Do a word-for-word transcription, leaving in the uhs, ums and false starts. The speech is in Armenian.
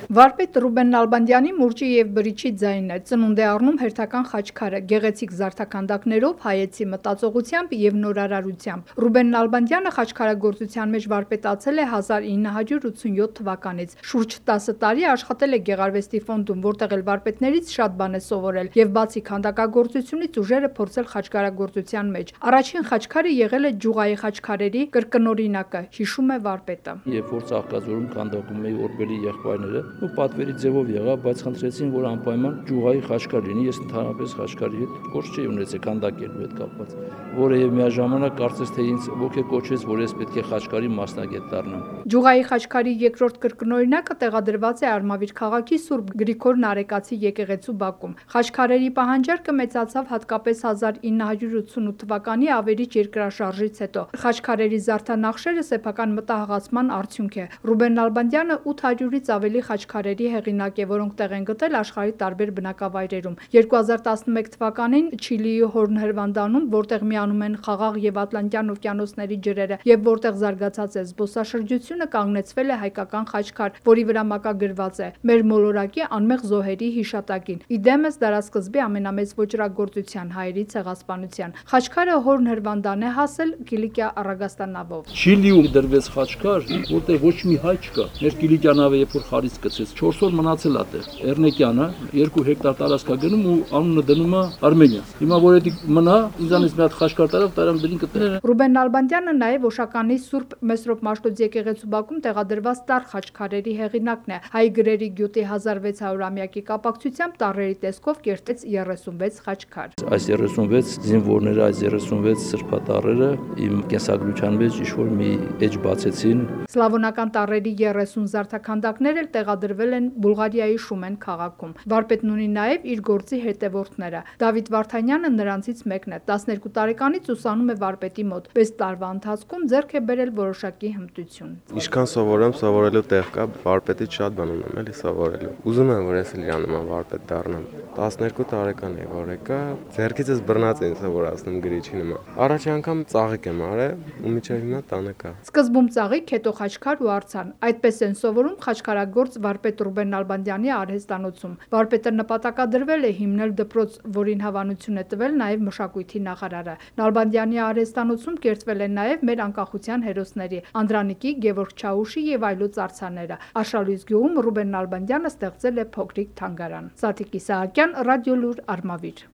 Վարպետ Ռուբեն Նալբանդյանի մուրճի և բրիչի ձայնն է ծնունդ է առնում հերթական խաչքարը գեղեցիկ զարդաքանդակներով, հայեցի մտածողությամբ և նորարարությամբ։ Ռուբեն Նալբանդյանը խաչքարագործության մեջ վարպետացել է հազար ինը հարյուր ութսունյոթ թվականից։ Շուրջ տասը տարի աշխատել է Գեղարվեստի ֆոնդում, որտեղ էլ վարպետներից շատ բան է սովորել և բացի քանդակագործությունից ուժերը փորձել խաչքարագործության մեջ։ Առաջին խաչքարը եղել է ջուղայի խաչքարերի կրկնօրինակը, հիշում է վարպետը։ Երբ որ Ծաղկաձորում քանդակում էի Օրբելի եղբայրները, ու պատվերի ձևով եղավ, բայց խնդրեցին, որ անպայման ջուղայի խաչքար լինի, ես ընդհանրապես խաչքարի հետ գործ չէի ունեցել քանդակելու հետ կապված, որը եւ միաժամանակ կարծես թե ինձ ոգեկոչեց, որ ես պետք է խաչքարի մասնագետ դառնամ։ Ջուղայի խաչքարի երկրորդ կրկնօրինակը տեղադրված է Արմավիր քաղաքի Սուրբ Գրիգոր Նարեկացի եկեղեցու բակում։ Խաչքարերի պահանջարկը մեծացավ հատկապես հազար ինը հարյուր ութսունութ թվականի ավերիչ երկրաշարժից հետո։ Խաչքարերի զարդանախշերը սեփական մտահղացման արդյունք է։ Ռուբեն Նալբանդյանը ութ հարյուրից ավելի խաչքարերի հեղինակ է, որոնք տեղ են գտել աշխարհի տարբեր բնակավայրերում։ երկու հազար տասնմեկ թվականին Չիլիի Հորն Հրվանդանում, որտեղ միանում են Խաղաղ եւ Ատլանտյան օվկիանոսների ջրերը եւ որտեղ զարգացած է զբոսաշրջությունը, կանգնեցվել է հայկական խաչքար, որի վրա մակագրված է «Մեր մոլորակի անմեղ զոհերի հիշատակին», իդեմս դարասկզբի ամենամեծ ոճրագործության՝ հայերի ցեղասպանության։ Խաչքարը Հորն Հրվանդան է հասել Կիլիկիա առագաստանավով։ Չիլիում դրվեց խաչքար, որտեղ ոչ մի հայ չկա։ Մեր Կիլիկիա նավը երբ որ խարից գցեց, չորս օր մնացել է տեղ։ Էրնեկյանը երկու հեկտար տարածքա գնում ու անունը դնում է Արմենիա։ Հիմա որ էդի մնա, ինձանից մի հատ խաչքար տարավ, տարան դրին կտեղ։ Ռուբեն Նալբանդյանը նաև Օշականի Սուրբ Մեսրոպ Մաշտոց եկեղեցու բակում տեղադրված տառ խաչքարերի հեղինակն է։ Հայ գրերի գյուտի հազար վեց հարյուրամյակի կապակցությամբ տառերի տեսքով կերտեց երեսունվեց խաչքար։ Այս երեսունվեց զինվորները, այս երեսունվեց սրբատառերը իմ կենսագրության մեջ ինչ-որ մի էջ բացեցին։ Սլավոնական տառերի երեսուն զարդաքանդակներ էլ տեղադրվել են Բուլղարիայի Շումեն քաղաքում։ Վարպետն ունի նաև իր գործի հետևորդները։ Դավիթ Վարդանյանը նրանցից մեկն է։ տասներկու տարեկանից ուսանում է վարպետի մոտ։ վեց տարվա ընթացքում ձեռք է բերել որոշակի հմտություն։ Ինչքան սովորեմ, սովորելու տեղ կա, վարպետից շատ բան ունեմ էլի սովորելու։ Ուզում եմ, որ ես էլ իրանոման վարպետ դառնամ։ տասներկու տարեկան եմ, որ եկա, ձեռքիցս բռնած էին սովորացնում գրիչի նման։ Առաջի անգամ ծաղիկ եմ արել, ու մինչև հիմա տանը կա։ Սկզբում ծաղիկ, հետո խաչքար ու արձան։ Այդպես են սովորում խաչքարագործ վարպետ Ռուբեն Նալբանդյանի արհեստանոցում։ Վարպետը նպատակադրվել է հիմնել դպրոց, որին հավանություն է տվել նաև մշակույթի նախարարը։ Նալբանդյանի արհեստանոցում կերտվել են նաև մեր անկախության հերոսների Անդրանիկի, Գևորգ Չաուշի եւ այլոց արձանները։ Արշալույս գյուղում Ռուբեն Նալբանդյանը ստեղծել է փոքրիկ թանգարան։ Սաթիկ Իսահակյան, Ռադիոլուր, Արմավիր։